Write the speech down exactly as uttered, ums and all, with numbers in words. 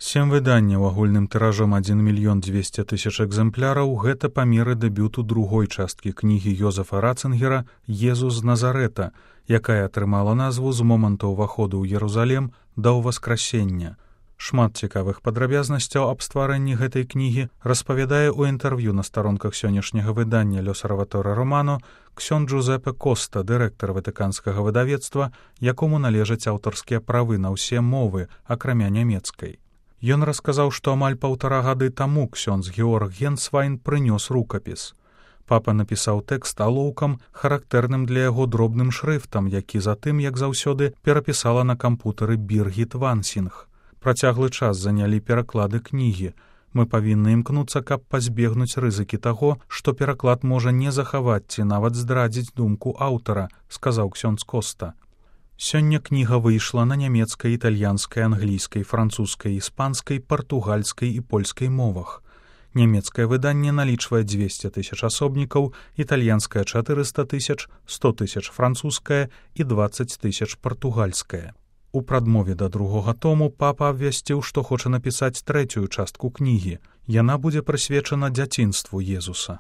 Сем выданняў агульным тыражом адзін мільён дзвесце тысяч экземпляраў — гэта памеры дэбюту другой часткі кнігі Йозефа Ратцингера «Езус з Назарэта», якая атрымала назву з моманту ўваходу ў Єрусалем да ўваскрасення. Шмат цікавых падрабязнасцяў аб стварэнні гэтай кнігі распавядае ў інтэрв'ю на старонках сённяшняга выдання «L'Osservatore Romano» ксёндз Джузеппе Коста, дырэктар ватыканскага выдавецтва, якому належаць аўтарскія правы на ўсе мовы, акрамя нямецкай. Ён расказаў, што амаль паўтара гады таму ксёндз Георг Генсвайн прынёс рукапіс. Папа напісаў тэкст алоўкам, характэрным для яго дробным шрыфтам, які затым, як заўсёды, перапісала на кампутары Біргіт Вансінг. Працяглы час занялі пераклады кнігі. Мы павінны імкнуцца, каб пазбегнуць рызыкі таго, што пераклад можа не захаваць ці нават здрадзіць думку аўтара, сказаў ксёндз Коста. Сёння кніга выйшла на нямецкай, італьянскай, англійскай, французскай, іспанскай, партугальскай і польскай мовах. Нямецкае выданне налічвае дзвесце тысяч асобнікаў, італьянскае чатырыста тысяч, сто тысяч французскае і дваццаць тысяч партугальскае. У прадмове да другога тому папа абвясціў, што хоча напісаць трэцюю частку кнігі. Яна будзе прысвечана дзяцінству Езуса.